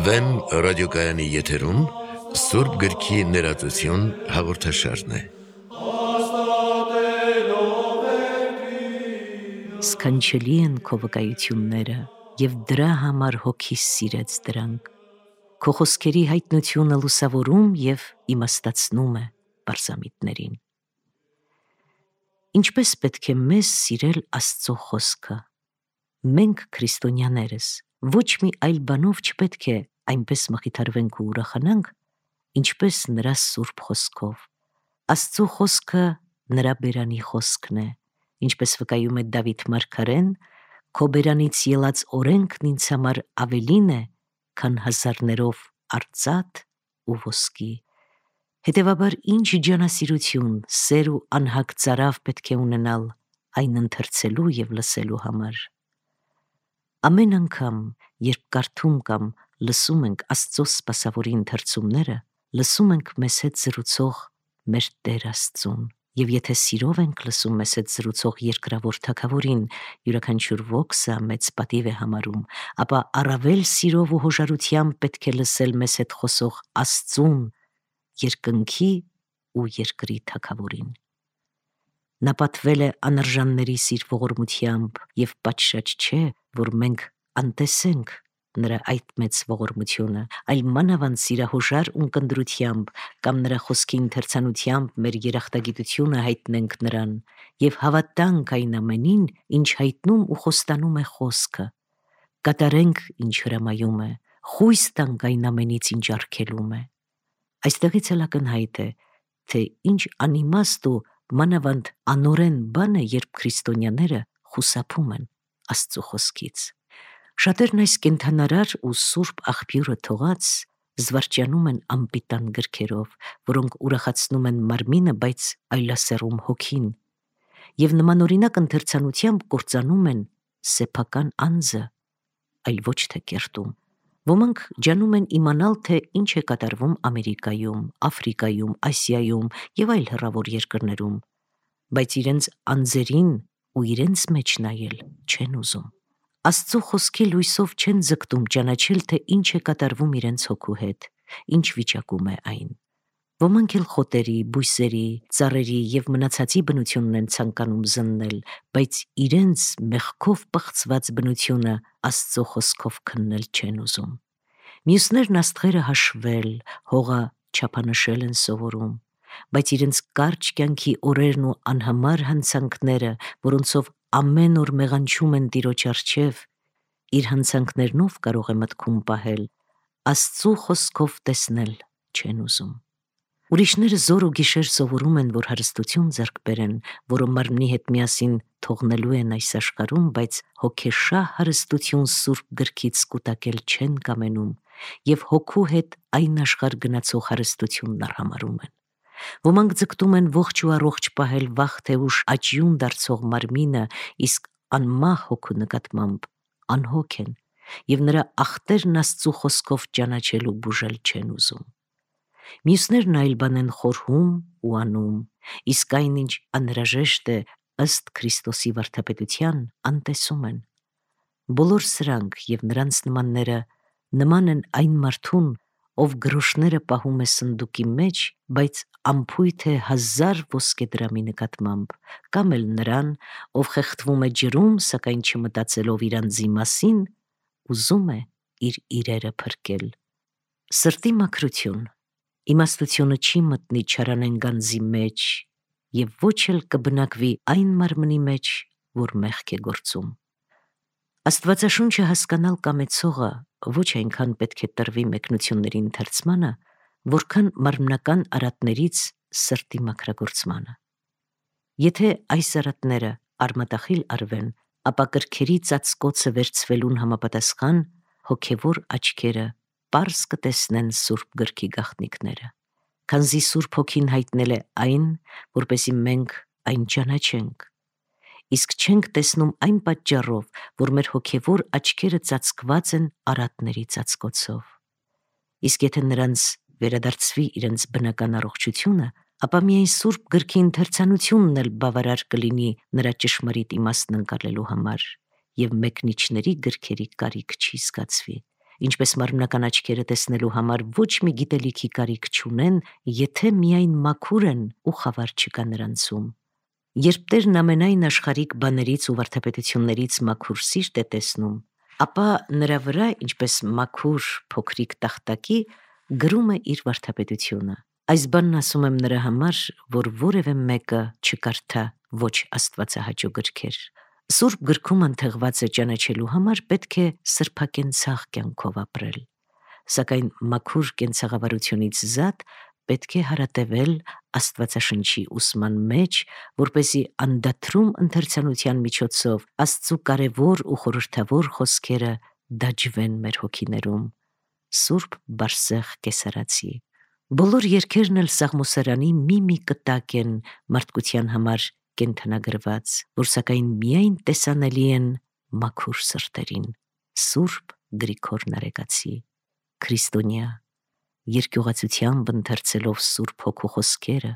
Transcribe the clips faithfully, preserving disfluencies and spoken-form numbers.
Վեմ ռադիոկայանի եթերում Սուրբ գրքի ներածություն հաղորդաշարն է։ Սքանչելի են քո վկայությունները, և դրա համար հոգիս սիրեց դրանք։ Քո խոսքերի հայտնությունը լուսավորում և իմաստացնում է պարզամիտներին։ Ինչպես պետք է մեզ սիրել Աստծո խոսքը։ Մենք քրիստոնյաներս ոչ մի այլ բանով չպետք է այնպես մխիթարվենք ու ուրախանանք, ինչպես նրա սուրբ խոսքով։ Աստծո խոսքը նրա բերանի խոսքն է, ինչպես վկայում է Դավիթ մարգարեն, քո բերանից ելած օրենքն ինձ համար ավելին է, քան հազարներով արծաթ ու ոսկի։ Հետևաբար ինչ ջանասիրություն, սեր ու անհագ ծարավ պետք է ունենալ այն ընթերցելու և լսելու համար։ Ամեն անգամ, երբ կարդում կամ լսում ենք Աստծո սպասավորի ընթերցումները, լսում ենք մեզ հետ զրուցող մեր Տեր Աստծուն, և եթե սիրով ենք լսում մեզ հետ զրուցող երկրավոր Թագավորին, յուրաքանչյուր ոքսը մեծ պատիվ է համարում, ապա առավել սիրով ու հոժարությամբ պետք է լսել մեզ հետ խոսող Աստծուն, երկնքի ու երկրի Թագավորին։ Նա պատվել է անարժանների սիր ողորմությամբ, և պատշաճ չէ, որ մենք անտեսենք նրա այդ մեծ ողորմությունը, այլ մանավանդ սիրահոժար ունկնդրությամբ կամ նրա խոսքի ընթերցանությամբ մեր երախտագիտությունը հայտնենք նրան և հավատանք այն ամենին, ինչ հայտնում ու խոստանում է խոսքը, կատարենք, ինչ հրամայում է, խույս տանք այն ամենից, ինչ արգելում է։ Այստեղից էլ ակնհայտ է, թե ինչ անիմաստ ու մանավանդ անօրեն բան է, երբ քրիստոնյաները խուսափում են Աստծո խոսքից։ Շատերն այս կենդանարար ու սուրբ աղբյուրը թողած զվարճանում են անպիտան գրքերով, որոնք ուրախացնում են մարմինը, բայց այլասերում հոգին, և նմանօրինակ ընթերցանությամբ կործանում են սեփական անձը, այլ ոչ թե կերտում։ Ոմանք ջանում են իմանալ, թե ինչ է կատարվում Ամերիկայում, Աֆրիկայում, Ասիայում և այլ հեռավոր երկրներում, բայց իրենց անձերին ու իրենց մեջ նայել չեն ուզում։ Աստծո խոսքի լույսով չեն ձգտում ճանաչել, թե ինչ է կատարվում իրենց հոգու հետ, ինչ վիճակում է այն։ Ոմանք էլ խոտերի, բույսերի, ծառերի և մնացածի բնությունն են ցանկանում զննել, բայց իրենց մեղքով պղծված բնությունը Աստծո խոսքով քննել չեն ուզում։ Մյուսներն աստղերը հաշվել, հողը չափանշել են սովորում, բայց իրենց կարճ կյանքի օրերն ու անհամար հանցանքները, որոնցով ամեն օր մեղանչում են Տիրոջ առջև, իր հանցանքներնով կարող է մտքում պահել, Աստծո խոսքով տեսնել չեն ուզում։ Ուրիշները զոր ու գիշեր սովորում են, որ հարստություն ձեռք բերեն, որը մարմնի հետ միասին թողնելու են այս աշխարհում, բայց հոգեշահ հարստություն Սուրբ գրքից կուտակել չեն կամենում և հոգու հետ այն աշխարհ գնացող հարստությունն արհամարհում են։ Ոմանք ձգտում են ողջ ու առողջ պահել վաղ թե ուշ աճյուն դարձող մարմինը, իսկ անմահ հոգու նկատմամբ անհոգ են և նրա ախտերն Աստծո խոսքով ճանաչել ու բուժել չեն ուզում։ Մյուսներն այլ բան են խորհում ու անում, իսկ այն, ինչ անհրաժեշտ է ըստ Քրիստոսի վարդապետության, անտեսում են։ Բոլոր սրանք և նրանց նմանները նման են այն մարդուն, ով գրոշները պահում է սնդուկի մեջ, բայց անփույթ է հազար ոսկեդրամի նկատմամբ, կամ էլ նրան, ով խեղդվում է ջրում, սակայն չմտածելով իր անձի մասին, ուզում է իր իրերը փրկել։ Սրտի մաքրություն, իմաստությունը չի մտնի չարանեն գանձի մեջ և ոչ էլ կբնակվի այն մարմնի մեջ, որ մեղք է գործում։ Աստվածաշունչը հասկանալ կամեցողը ոչ այնքան պետք է տրվի մեկնությունների ընթերցմանը, որքան մարմնական արատներից սրտի մաքրագործմանը։ Եթե այս արատները արմատախիլ արվեն, ապա կրքերի ծածկոցը վերցվելուն համապատասխան հոգևոր աչքերը պարզ կտեսնեն Սուրբ գրքի գաղտնիքները, քանզի Սուրբ Հոգին հայտնել է այն, որպեսզի մենք այն ճանաչենք, իսկ չենք տեսնում այն պատճառով, որ մեր հոգևոր աչքերը ծածկված են արատների ծածկոցով։ Իսկ եթե նրանց վերադարձվի իրենց բնական առողջությունը, ապա միայն Սուրբ գրքի ընթերցանությունն էլ բավարար կլինի նրա ճշմարիտ իմաստն ընկալելու համար, եւ մեկնիչների գրքերի կարիք չի զգացվի, ինչպես մարմնական աչքերը տեսնելու համար ոչ մի գիտելիքի կարիք չունեն, եթե միայն մաքուր են ու խավար չկա նրանցում։ Երբ Տերն ամենայն աշխարհիկ բաներից ու վարդապետություններից մաքուր սիրտ է տեսնում, ապա նրա վրա, ինչպես մաքուր փոքրիկ տախտակի, գրում է իր վարդապետությունը։ Այս բանն ասում եմ նրա համար, որ որևէ մեկը չկարդա ոչ աստվածահաճո գրքեր։ Սուրբ գրքում ընթեղված է ճանաչելու համար պետք է սրբակենցաղ կյանքով ապրել, սակայն մաքուր կենցաղավարությունից զատ պետք է հարատևել Աստվածաշնչի ուսման մեջ, որպեսզի անդադրում ընթերցանության միջոցով Աստծու կարևոր ու խորհրդավոր խոսքերը դաջվեն մեր հոգիներում։ Սուրբ Բարսեղ Կեսարացի։ Բոլոր երգերն էլ Սաղմոսարանի մի-մի կտակ են մարդկության համար կենդանագրված, որ սակայն միայն տեսանելի են մաքուր սրտերին։ Սուրբ Գրիգոր Նարեկացի։ Քրիստոնյա, երկյուղացությամբ ընթերցելով Սուրբ Հոգու խոսքերը,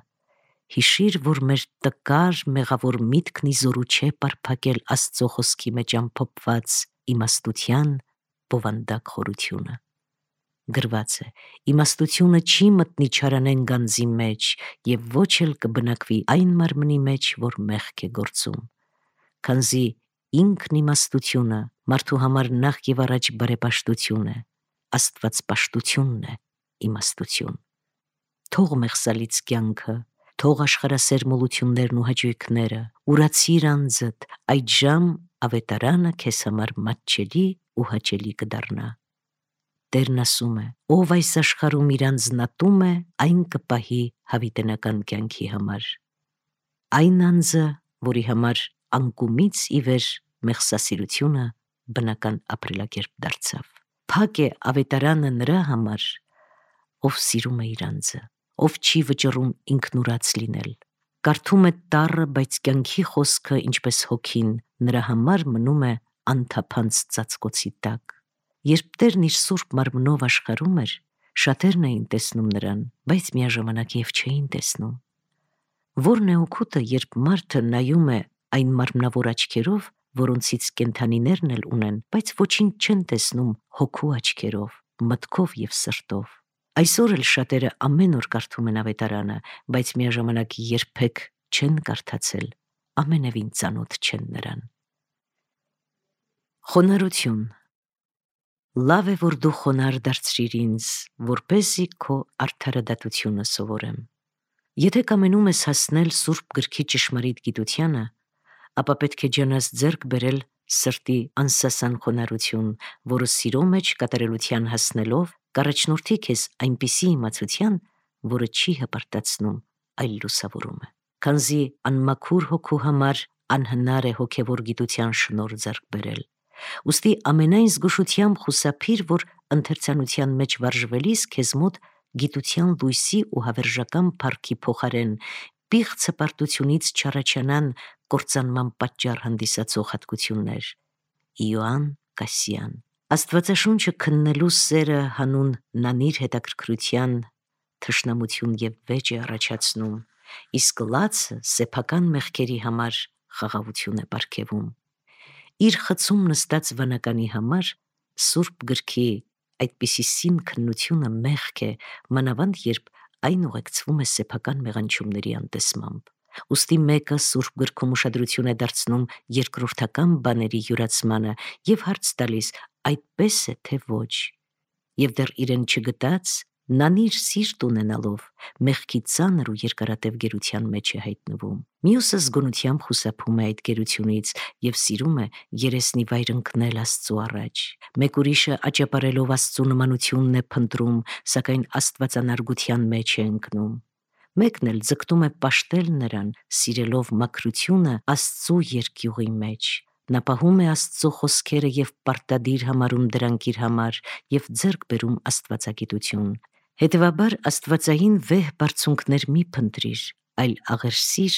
հիշիր, որ մեր տկար մեղավոր միտքն ի զորու չէ պարփակել Աստծո խոսքի մեջ ամփոփված իմաստության բովանդակ խորությունը։ Գրված է. իմաստությունը չի մտնի չարանեն գանձի մեջ եւ ոչ էլ կբնակվի այն մարմնի մեջ, որ մեղք է գործում, քանզի ինքն իմաստությունը մարդու համար նախ եւ առաջ բարեպաշտություն է, աստվածպաշտությունն է իմաստություն։ Թող մեղսալից կյանքը, թող աշխարհասեր մոլություններն ու հաճույքները, ուրացիր անձդ, այդժամ ավետարանը քեզ համար մատչելի ու հաճելի կդառնա։ Տերն ասում է. ով այս աշխարհում իր անձն ատում է, այն կպահի հավիտենական կյանքի համար։ Այն անձը, որի համար անկումից ի վեր մեղսասիրությունը բնական ապրելակերպ դարձավ։ Փակ է ավետարանը նրա համար, ով սիրում է իր անձը, ով չի վճռում ինքնուրաց լինել, կարդում է տառը, բայց կյանքի խոսքը, ինչպես հոգին, նրա համար մնում է անթափանց ծածկոցի տակ։ Երբ Տերն իր սուրբ մարմնով աշխարհում էր, շատերն էին տեսնում նրան, բայց միաժամանակ եւ չէին տեսնում։ Որն է օգուտը, երբ մարդը նայում է այն մարմնավոր աչքերով, որոնցից կենդանիներն էլ ունեն, բայց ոչինչ չեն տեսնում հոգու աչքերով, մտքով եւ սրտով։ Այսօր էլ շատերը ամեն օր կարդում են ավետարանը, բայց միաժամանակ երբեք չեն կարդացել, ամենևին ծանոթ չեն նրան։ Խոնարհություն։ Լավ է, որ դու խոնարհ դարձրիր ինձ, որպեսզի քո արդարադատությունը սովորեմ։ Եթե կամենում ես հասնել Սուրբ գրքի ճշմարիտ գիտությանը, ապա պետք է ջանաս ձեռք բերել սրտի անսասան խոնարհություն, որը սիրո մեջ կատարելության հասնելով կառաջնորդի քեզ այնպիսի իմացության, որը չի հպարտացնում, այլ լուսավորում է։ Քանզի անմաքուր հոգու համար անհնար է հոգևոր գիտության շնորհ ձեռք բերել։ Ուստի ամենայն զգուշությամբ խուսափիր, որ ընթերցանության մեջ վարժվելիս քեզ մոտ գիտության լույսի ու հավերժական փառքի փոխարեն պիղծ հպարտությունից չառաջանան կործանման պատճառ հանդիսացող հատկություններ։ Իոանն Կասյան։ Աստվածաշունչը քննելու սերը հանուն նանիր հետաքրքրության թշնամություն եւ վեճ է առաջացնում, իսկ լացը սեփական մեղքերի համար խաղաղություն է պարգևում։ Իր խցում նստած վանականի համար Սուրբ գրքի այդպիսի սին քննությունը մեղք է, մանավանդ երբ այն ուղեկցվում է սեփական մեղանչումների անտեսմամբ։ Ուստի մեկը Սուրբ գրքում ուշադրություն է դարձնում երկրորդական բաների յուրացմանը եւ հարց տալիս այդպես է թե ոչ, եւ դեռ իրեն չգտած նանիր սիրտ ունենալով մեղքի ծանր ու երկարատև գերության մեջ է հայտնվում։ Մյուսը զգոնությամբ խուսափում է այդ գերությունից եւ սիրում է երեսնի վայր ընկնել Աստծու առաջ։ Մեկ ուրիշը աճապարելով Աստծու նմանությունն է փնտրում, սակայն աստվածանարգության մեջ է ընկնում։ Մեկն էլ ձգտում է պաշտել նրան, սիրելով մաքրությունը Աստծու երկյուղի մեջ։ Նա պահում է Աստծո խոսքերը եւ պարտադիր համարում դրանք իր համար եւ ձեռք բերում աստվածագիտություն։ Հետևաբար աստվածային վեհ բարձունքներ մի փնտրիր, այլ աղերսիր,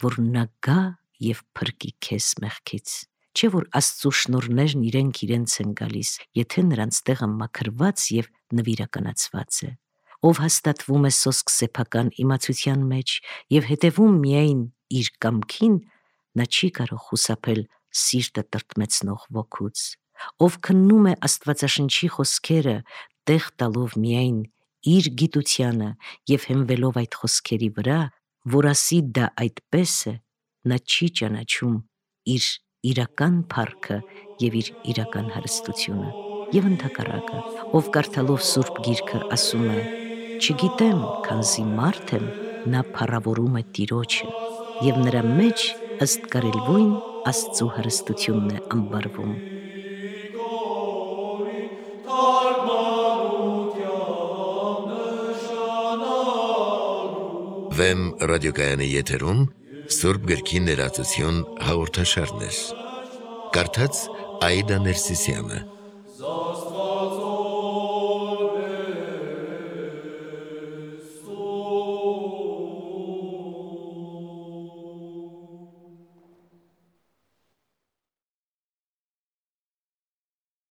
որ նա գա եւ փրկի քեզ մեղքից։ Չէ որ Աստծու շնորհներն իրենք իրենց են գալիս, եթե նրանց տեղը մաքրված եւ նվիրականացված է։ ով հաստատվում է սոսկ սեփական իմացության մեջ եւ հետևում միայն իր կամքին, նա չի կարող խուսափել սիրտը տրտմեցնող ոգուց, ով քննում է Աստվածաշնչի խոսքերը, տեղ տալով միայն իր գիտությանը եւ հենվելով այդ խոսքերի վրա, որ ասի դա այդպես է, նա չի ճանաչում իր իրական փառքը եւ իր իրական հարստությունը։ Եվ ընդհակառակը, ով կարդալով Սուրբ Գիրքը ասում է. «Չգիտեմ, քանզի մարդ եմ», նա փառավորում է Տիրոջը, եւ նրա մեջ ըստ կարելույն Աստծո հարստությունն է ամբարվում։ Վեմ ռադիոկայանի եթերում Սուրբ Գրքի ներածություն հաղորդաշարներ։ Կարդաց Աիդա Ներսիսյանը։